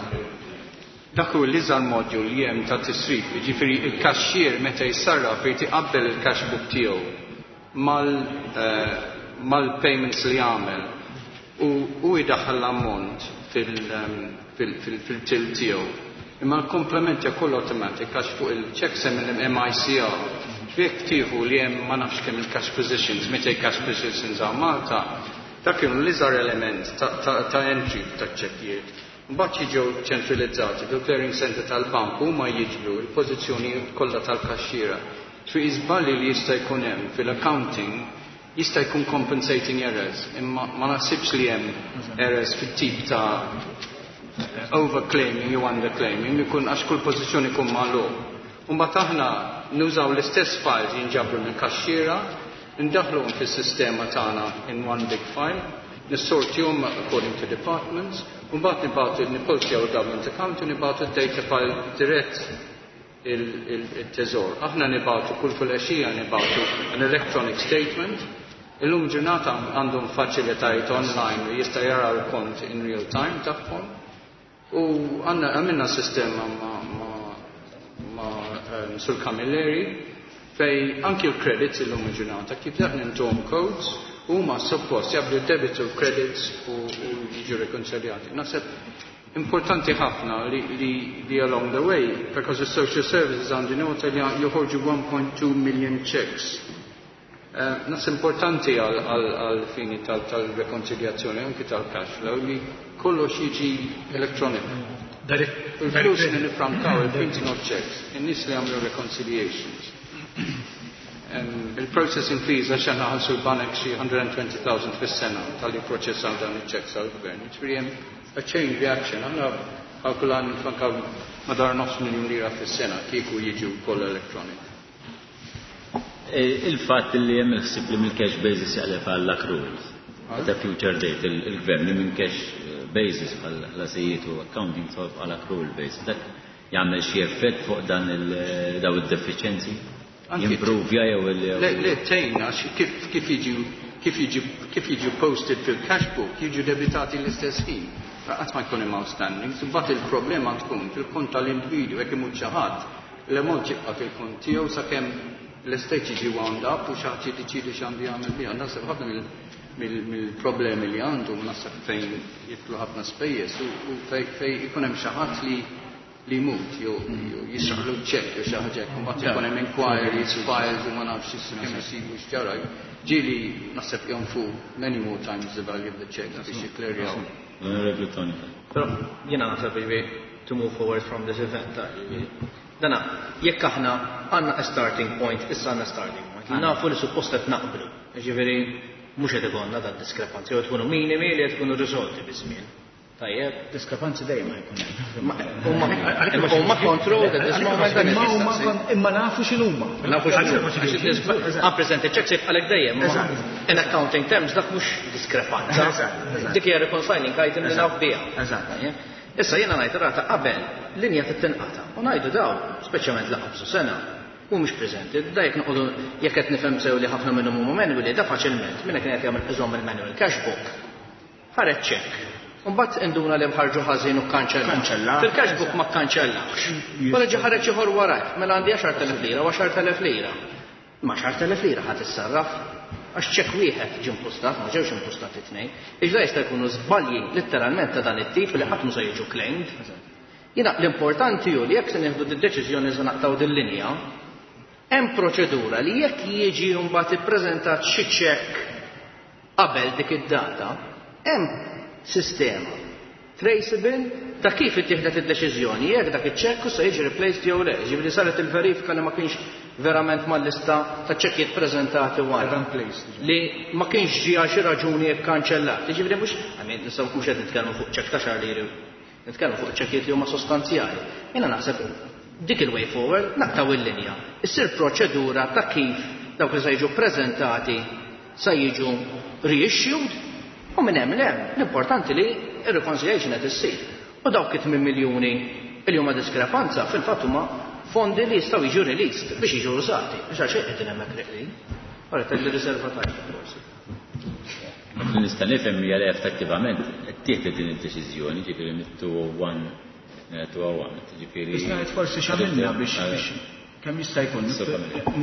dak hu l-iżgħar module li hemm ta' tisrif, jiġifieri il-kaxxier meta jissarraf irid iqabbel il-cash book tiegħu mal eh, mal-payments li għamel u u jdaħħal l-ammont fil-till tiegħu. Imma l-komplement kollu automatic għax fuq il-checks hemm il-M I C R. Jekk tieħu li hemm ma nafx kemm il-cash positions, meta cash positions għal Malta, dak kienu l-iżgħar element ta' entry ta' ċekkijiet. Mbagħad jiġu ċentralizzati fil-clearing center tal-bank, huma jiġbru l-pożizzjoni kollha tal-kaxxiera. Fi iżballi li jista' jkun hemm fil-accounting jista' jkun compensating errors, imma ma naħsibx li hemm errors fit-tip ta' overclaiming jew underclaiming, ikun għax kull pożizzjoni jkun magħluq. Mbagħad aħna nużaw l-istess files jinġabru mill-kaxxiera, ndaħluhom fis-sistema tagħna in one big file, nissortihom according to departments, u mbagħad nibgħatu, nipostjaw il-government account u nibgħatu d-data file dirett il-teżor. Aħna nibgħatu kull filgħaxija, nibgħatu an electronic statement. Illum ġurnata għandhom faċilitajiet online li jista' jara l-kont in real time tagħhom. U għandna għamilna sistema ma, ma, ma um, Sur Camilleri fej anki l-credits, illum ġurnata kif daħna intuhom codes, huma suppost jabdu debit u credits u, u jiġu rekonċiljati. Naħseb importanti ħafna li, li, li along the way, because the social services għandi nota li joħorġu one point two million checks. Uh, Naħseb importanti għal fini tal-rekonċiljazzjoni, anki tal-cash flow, li kollox jiġi electronic. Il-flus li nifrankaw, il-printing of checks, in-nies li għamlu reconciliations. Um, il-processing fees, għax għanna ħalsu l-banek xi mija u għoxrin elf fis-sena tal-li proċessaw dan il-checks għal-gvern. Ġifieri hemm a chain reaction. Aħna kalkulan nifrankaw madwar nofs miljun lira fis-sena kieku jiġu koll electronic. E, il-fatt li hemm il-ħsieb li mill-cash basis jaqleb għall accruals. At a future date, il-gvern li minn cash basis bħal ħlasijiet u accounting għal accrual basis. Dak jagħmel xi effett fuq dan daw id-deficienzi? Jimprovja jew il Le, le, tejna, kif kif jiġu kif jiġu kif jiġu posted fil-cash book, jiġu debitati l-istess ħin. Qatt ma jkun hemm outstanding, imbagħad il-problema tkun fil-kont tal-individu jekk imut xi ħadd, l-ammont jibqa' fil-kont tiegħu sakemm l-estate jiġi wound up u xi ħadd jiddeċiedi x'għandu jagħmel biha. Naħseb ħafna mill-problemi li għandu, naħseb fejn jidħlu ħafna spejjeż u fejn ikun hemm xi ħadd li li jmut jew jisraqlu ċekk jew xi ħaġa hekk, imbagħad ikun hemm inquiries, files u ma nafx kemm isibu x'ġara. Ġieli naħseb jonfu many more times the value of the check biex jikklerjaw. L-Onorevoli Tony. Però jiena naħseb jiġifieri to move forward from this event. Dana, jekk aħna għandna a starting point, issa għandna starting point. Nafu li suppost qed naqblu. Jiġifieri mhux qed ikollna dan diskrepanzi, jew tkunu minimi li qed tkunu riżolti biż-żmien. Tajjeb. Diskrepanzi dejjem jkun hemm. Huma controlled at this moment. Imma nafu x'inhuma. Nafu x'inhuma. Unpresented checks jibqalek dejjem. In accounting terms dak mhux diskrepanza. Dik hija reconciling item li naf biha. Issa jiena ngħid rata qabel linja tittinqata' u ngħidu daw, speċjalment la qabżu sena, mhumiex preżenti. Da jekk noqogħdu jekk qed nifhem sew li ħafna minnhom huma manually, da faċilment minn kien qed jagħmel iżomm il-manual cash book. Ħareġ check. Mbagħad induna li mħarġu ħażin u kkanċella. Fil-cash book ma kkanċellax. Wara ġi ħareġ ieħor warajk, mela għandi għaxar telef lira u għaxar telef lira. Ma għaxar telef lira ħadd issarraf għax ċekk wieħed ġie impustat, ma ġewx impustati tnejn. Iġda jista' jkunu żbalji letteralment ta' dan it-tip li ħadd mhu se jiġu claimed. Jiena l-importanti hu li jekk se nieħdu d-deċiżjoni se naqtaw din-linja, hemm proċedura li jekk jiġi mbagħad ippreżentat xi ċekk qabel dik id-data, hemm sistema traceable ta' kif ittieħdet id-deċiżjoni jekk dak iċ-ċekk se jiġi replaced jew le. Ġifieri saret il-verifika li ma kienx verament mal-lista ta' ċekkijiet preżentati wara. Li ma kienx ġie għal xi raġuni kkanċellat. Ġifieri mhux, I mean, nistgħu mhux qed nitkellmu fuq ċekk ta' xahar liri, nitkellmu fuq ċekkijiet li huma sostanzjali. Jiena naħseb dik il-way forward naqtaw il-linja. Issir proċedura ta' kif dawk li se jiġu preżentati se jiġu reissued u minn hemm hemm l-importanti li ir-reconciliation qed issir. U dawk it-tmien miljuni li huma diskrepanza fil-fatt huma fondi li jistgħu jiġu released biex jiġu użati. Biex għal xejn qegħdin hemmhekk reqlin. Ora telli riserva tajba forsi. Li nista' nifhem hija li effettivament ttieħdet din id-deċiżjoni, ġifieri mit-two oh one, ġifieri. Biex ngħid forsi x'għamilna biex kemm jista' jkun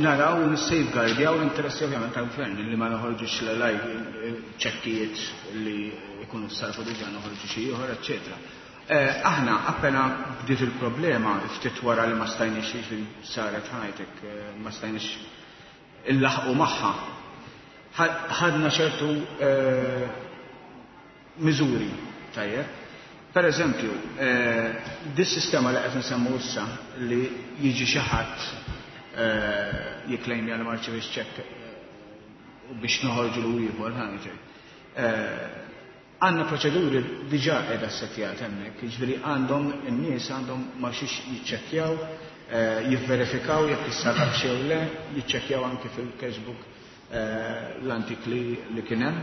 naraw u nissafeguardjaw l-interessi ovvjament tal-gvern li ma noħorġux l ċekkijiet li jkunu sarfu diġà, noħorġu xi ieħor, eċċetera. Aħna appena bdiet il-problema, ftit wara li ma stajniex li saret ħajtek, ma stajniex illaħqu magħha. Ħadna ċertu miżuri, tajjeb. Per eżempju, dis-sistema li qed nsemmu issa li jiġi xi ħadd jikklejmja li ma rċevix ċekk u biex noħorġu l ieħor ħa. Għandna proċeduri diġà qiegħda ssettjat hemmhekk, jiġifieri għandhom in-nies għandhom ma xiex jiċċekkjaw, jivverifikaw jekk issarraf jew le, jiċċekkjaw anke fil-cashbook l-antik li, li kien hemm,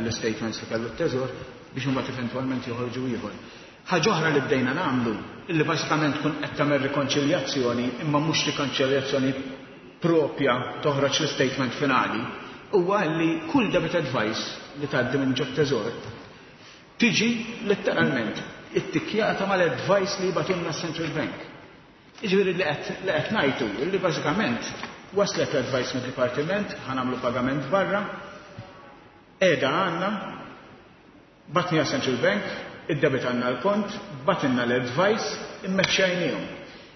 l-statements li kellu t-teżor, biex imbagħad eventwalment joħorġu ieħor. Ħaġa oħra li bdejna nagħmlu, illi bażikament tkun qed tagħmel rikonċiljazzjoni, imma mhux rikonċiljazzjoni propja toħroġ l-statement finali, huwa li kull debit advice li tgħaddi minn ġo teżor tiġi letteralment ittikkjata mal-advice li jibgħatulna Central Bank. Jiġifieri li qed ngħidu li bażikament waslet l-advice mid-dipartiment, ħa nagħmlu pagament barra, qiegħda għandna, bgħatnieha Central Bank, id-debit għandna l-kont, bagħtilna l-advice, immeċċajnihom.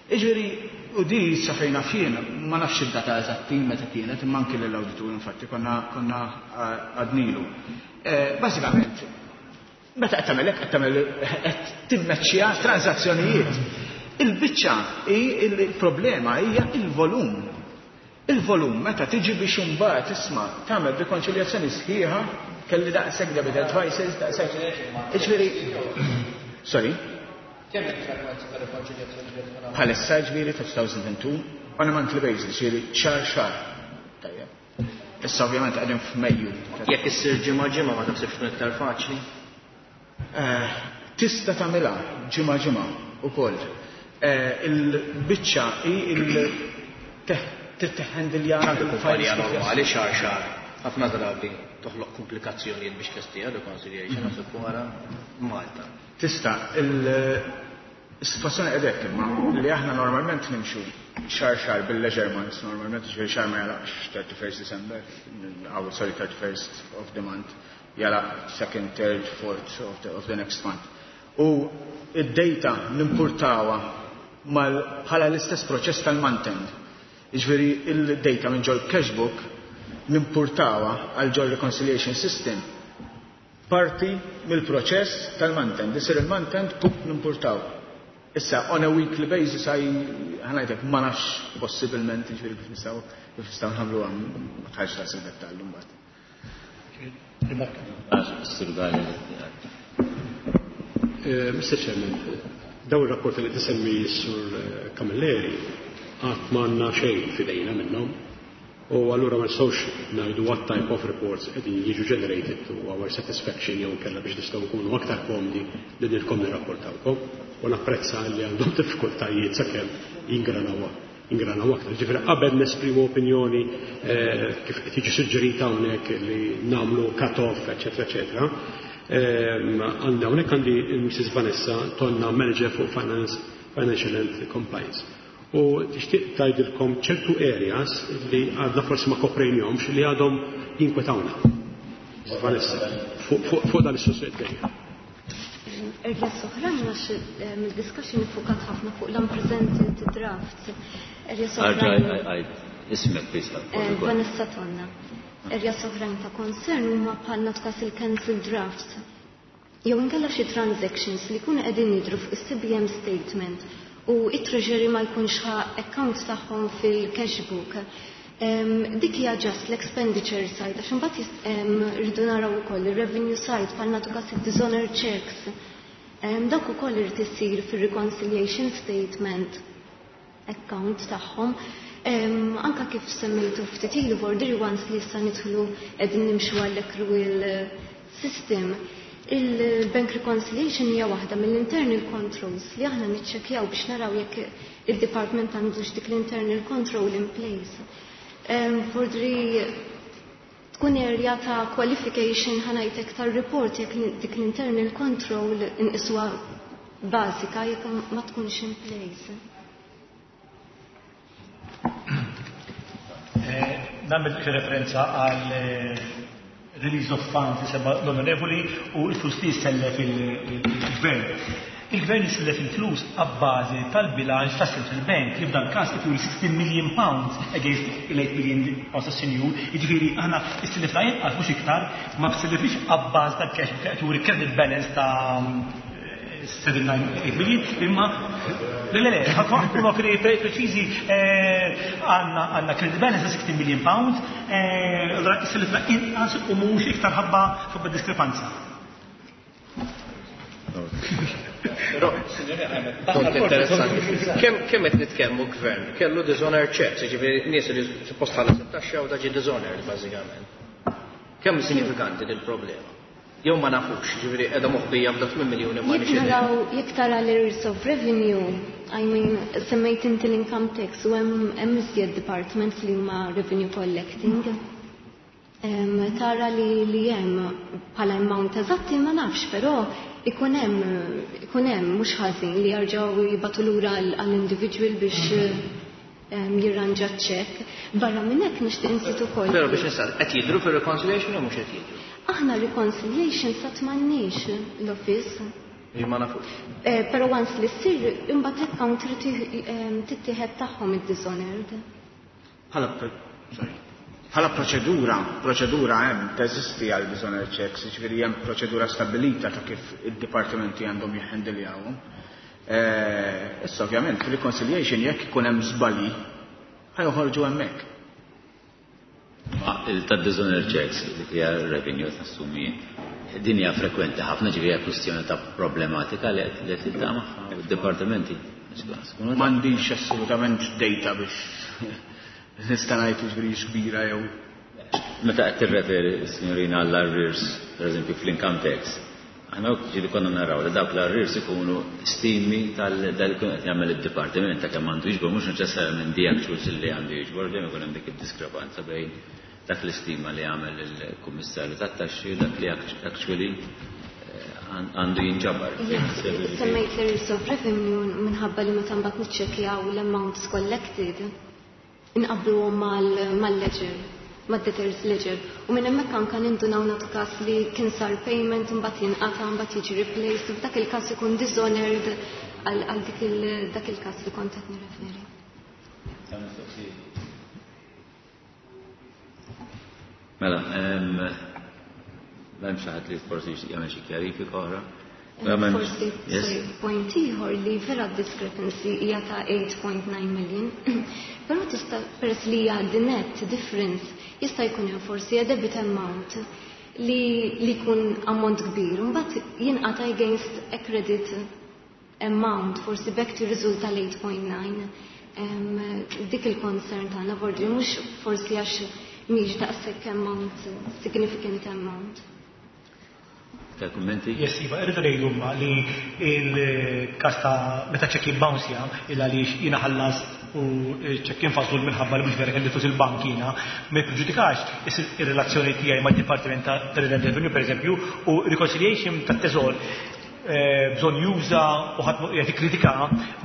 Jiġifieri, u di sa fejn jien, ma nafx id-data eżatti meta kienet, imma anki l-awditur infatti konna konna għednilu. Bażikament, meta qed tagħmel hekk qed tagħmel qed timmeċċja transazzjonijiet. Il-biċċa hi il-problema hija il-volum. Il-volum meta tiġi biex imbagħad isma' tagħmel rikonċiljazzjoni sħiħa kelli daqshekk debit advices, daqshekk. Jiġifieri, sorry. Kemm il-frekwenza ta' rikonċiljazzjoni li tkun Bħalissa ġifieri ta' two thousand and two on a monthly basis, ġifieri xahar xahar. Tajjeb. Issa ovvjament qegħdin f'Mejju. Jekk issir ġimgħa ġimgħa ma taħsibx tkun iktar faċli? Tista' tagħmilha ġimgħa ġimgħa ukoll. Il-biċċa hi il titteħendilja. Anke kumpanija normali xahar xahar. Ħafna drabi toħloq komplikazzjonijiet biex tlestija reconciliation naħseb wara Malta. Tista' il-situazzjoni qedek imma li aħna normalment nimxu xahar xahar bil-ledger months, normalment ġifieri xahar ma jagħlaqx thirty-first December, aw sorry, thirty-first of the month, jagħlaq second, third, fourth of the, of the next month. U id-data nimpurtawa bħala l-istess proċess tal-month-end. Jiġifieri il-data minn ġol cashbook nimpurtawa għal ġol reconciliation system parti mill-proċess tal-month-end. Isir il-month-end pup nimpurtaw. Issa, on a weekly basis, ħa ngħidlek, ma nafx possibilment, jiġifieri kif nistgħu kif nistgħu nagħmlu għam, ma tħarx ta' sil-dettall mbagħad. Mister Chairman, daw il-rapport li tisemmi s-sur Camilleri għad m'għandna xejn fidejna minnhom. U allura ma nistgħux ngħidu what type of reports qegħdin jiġu generated to our satisfaction jew kellha biex nistgħu nkunu aktar komdi li nilkom nirrapportawkom. U napprezza li għandhom diffikultajiet sakemm jingranaw ingranaw aktar. Ġifieri qabel nesprimu opinjoni kif qed jiġi suġġerita hawnhekk li nagħmlu cut-off, eċetera, eċetera. Għandi hawnhekk għandi Missus Vanessa Tonna, manager for Finance, Financial and Compliance. U tixtieq tgħidilkom ċertu areas li għadna forsi ma koprejnihomx li għadhom jinkwetawna. Vanessa, fuq dan is-suġġett dejjem. Areas oħrajn għax mill-discussion iffukat ħafna fuq l-unpresented drafts. Areas oħrajn. Ismek please. Vanessa Tonna. Areas oħrajn ta' concern huma bħal naftas il-cancel drafts. Jew inkella xi transactions li jkunu qegħdin jidhru fuq is-C B M statement u it-treasury ma jkunx ħa account tagħhom fil-cash book. Dik hija just l-expenditure side, għax imbagħad rridu naraw ukoll ir-revenue side bħal nagħtu każ id-dishonor checks. Dak ukoll irid isir fir-reconciliation statement account tagħhom. Anka kif semmejtu ftit ilu border once li issa nidħlu qegħdin nimxu għall-accrual system. Il-bank reconciliation hija waħda mill-internal controls li aħna niċċekkjaw biex naraw jekk il-department għandux dik l-internal control in place. Fordri tkun area ta' qualification ħa ngħidlek tar-report jekk dik l-internal control inqiswa bażika jekk ma tkunx in place. Nagħmel referenza għal release of funds li sema l-onorevoli u l-flus li jissellef il-gvern. Il-gvern jissellef il-flus għabbażi tal-bilanċ ta' Central Bank li f'dan każ jituri sixteen million pounds against il-eight million pounds ta' senjur, jiġifieri aħna issellifna inqas mhux iktar, ma ssellifniex għabbażi tal-cash book qed juri credit balance ta' seven nine eight million, imma le le le, ħankunu preċiżi, għandna għandna credit balance ta' sixteen million pounds, allura issellifna inqas u mhux iktar ħabba ħabba diskrepanza. Però, punt interessanti. Kemm kemm qed nitkellmu gvern? Kellu dishonor checks, jiġifieri nies li suppost ħallas it-taxxa u daġi dishonored bażikament. Kemm sinifikanti din il-problema? Jew ma nafux, jiġifieri qiegħda moħbija b'dak tmien miljuni ma Jekk nixtieq. naraw, jekk tara l-arrears of revenue, I mean, semmejt inti l-income tax u hemm hemm iżjed departments li huma revenue collecting. Em, tara li, li hemm bħala amount eżatti ma nafx, però ikun hemm, ikun hemm mhux ħażin li jerġgħu jibgħatu lura għall-individual biex, em, jirranġa ċ-ċekk. Barra minn hekk nixtieq insit ukoll. Però biex nisal, qed jidhru fir-reconciliation jew mhux qed jidhru? Aħna reconciliation sa tmannix l-office. Li ma nafux. Eh, però once li ssir imbagħad account trid tittieħed tagħhom id-dishonored. Bħala pro-, sorry. Bħala proċedura, proċedura hemm teżisti għal dishonored checks, jiġifieri hemm proċedura stabbilita ta' kif id-dipartimenti għandhom jihhendiljawhom. Eh, issa ovvjament fil-reconciliation jekk ikun hemm żbalji ħajoħorġu hemmhekk. Ma il-tad-dishonored checks dik hija revenue tassumi din hija frekwenti ħafna, ġifieri hija kwistjoni ta' problematika li qed li qed tiltaqa' magħha u d-dipartimenti. M'għandix assolutament data biex nista' ngħid jiġifieri kbira jew. Meta qed tirreferi signorina għall-arrears, pereżempju fl-income tax, aħna ġieli konna naraw li dawk l-arrears ikunu stimi tal-dak li jkun qed jagħmel id-dipartiment ta' kemm għandu jiġbor, mhux neċessarjament di actuals li għandu jiġbor, dejjem ikun hemm dik id-diskrepanza bejn dak l-istima li għamel il-kummissarju tat-taxxi u dak li actually għandu jinġabar. Semmejt l-arrears of revenue minħabba li meta mbagħad niċċekkjaw l-amounts collected inqabluhom mal-ledger, mad-debtors ledger. U minn hemmhekk anke nindunaw nagħtu każ li kien sar payment imbagħad jinqata' mbagħad jiġi replaced, u f'dak il-każ ikun dishonored għal dik dak il-każ li kont qed nirreferi. Mela, m'hemm xi ħadd li forsi jagħmel xi kjarifika oħra. Forsi, sorry, point ieħor li vera discrepancy hija ta' eight point nine million, però tista' peress li hija the net difference jista' jkun hemm forsi a debit amount li li jkun ammont kbir, u mbagħad jinqata' against a credit amount, forsi b'hekk tirriżulta l-eight point nine. Dik il-concern tagħna vordi mhux forsi għax mhix daqshekk amount, significant amount. Ta' kummenti? Yes, Iva, irridu ngħidu ma li il-każ ta' meta ċekk jibbounsja il għaliex jiena ħallas u ċekk infażlu minħabba li mhux vera kelli flus il-bank jiena, ma jippreġudikax ir-relazzjoni tiegħi mad-Dipartiment ta' Inland Revenue pereżempju u reconciliation tat-teżor bżonn juża u ħadd qed jikkritika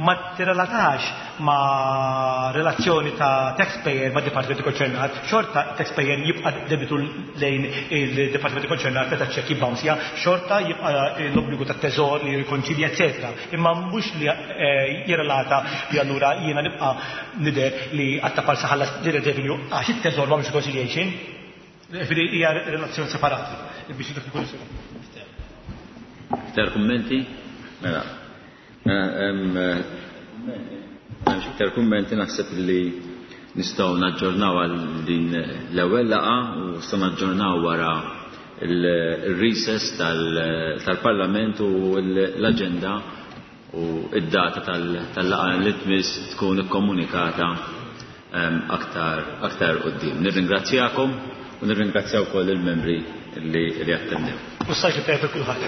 ma tirrelatax ma' relazzjoni ta' taxpayer ma' dipartimenti konċernat, xorta taxpayer jibqa' debitu lejn il-dipartimenti konċernat meta ċekk jibbounsja, xorta jibqa' l-obbligu tat-teżor li jirrikonċilja, eċetera. Imma mhux li jirrelata li allura jiena nibqa' nidher li għatta parsa ħallas revenue għax it-teżor ma mhux reconciliation. Ġifieri hija relazzjoni separata biex dak ikun sew. Iktar kummenti? Mela. M'hemmx iktar kummenti, naħseb li nistgħu naġġornaw għal din l-ewwel laqgħa u nistgħu naġġornaw wara il-recess tal-Parlament u l-aġenda u id-data tal-laqgħa li tmiss tkun ikkomunikata aktar aktar quddiem. Nirringrazzjakom u nirringrazzjaw ukoll il-membri li li attendew. U s-sajt li tajjeb kulħadd.